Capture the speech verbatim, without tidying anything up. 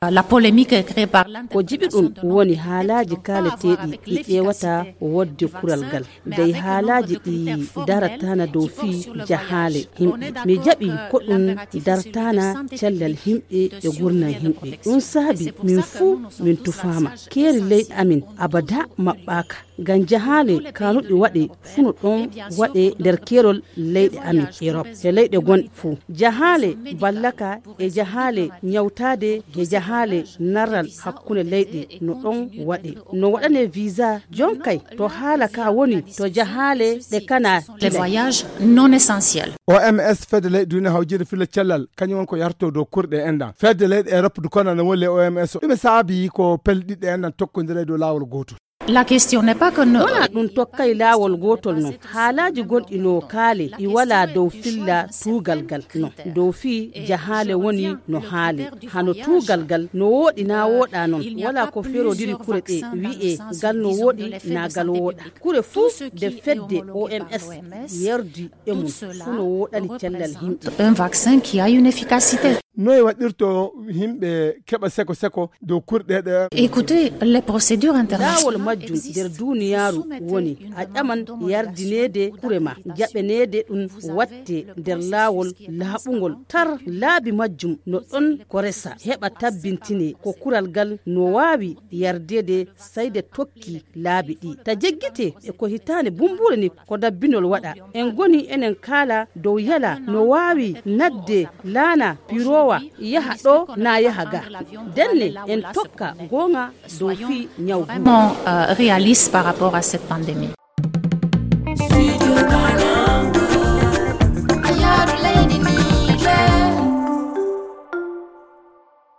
La polémique est créée par l'interprétation de nombreux textes dont on a parlé avec l'excès de, euh, de vulgarité. Ko jibi ɗum woni haalaaji kaaletee ɗi ƴeewata wodde kural ngal. Dey haalaaji ɗi darataana dow fii jahaale himɓe. Mi jaɓi ko ɗum dartaana cellal himɓe e gurnal himɓe. Ɗum saabi min fuu min tufaama. Keeri leyɗe amin abada maɓɓaaka. Ngam jahaale kaanuɗi waɗe fuu no ɗon waɗe nder keerol leyɗe amin Erop e leyɗe gonɗe fuu. Jahaale ballaka e jahaale ñawtaade e jahaale narral hakkunde leyɗe no ɗon waɗe. No waɗane visa jonkay to haala ka woni to jahaale ɗe kana Les voyages non essentiels. O M S fedde leyɗe duniya hawjirde filla cellal kañum won ko yarto dow kurɗe enɗan. Fedde leyɗe Erop du kona no woni le O M S o. Ɗume saabi ko pelle ɗiɗi ɗe enɗan tokkondira e dow laawol gootol? La question n'est pas que no. Wala ɗum tokkay laawol gootol non. Haalaaji gonɗi no kaale ɗi wala dow filla tuugal gal non. Dow fii jahaale woni no haale. Hano tuugal gal no wooɗi na wooɗa non. Wala ko ferodiri kure ɗe wi'e gal no wooɗi na gal wooɗa. Kure fuu de fedde O M S yerdi e mum fuu no wooɗani cellal himɓe. Un vaccin qui a une efficacité. Noy waɗirto himɓe keɓa seko seko dow kurɗe ɗe? Écoutez, les procédures internationales. Laawol majjum nder duniyaaru woni a ƴaman yardineede kure ma, jaɓaneede ɗum watte nder laawol laaɓungol tar. Laabi majjum no ɗon ko resa heɓa tabbintine ko kural gal no waawi yardeede sayde tokki laabi ɗi. Ta jeggite e ko hitaande bumbuure ni ko dabbinol waɗa. En goni enen kaala dow yala no waawi nadde laana pirowa yaha ɗo na yaha ga. Denne en tokka goonga dow fii ñaw gu. Vraiment, euh, réaliste par rapport à cette pandémie.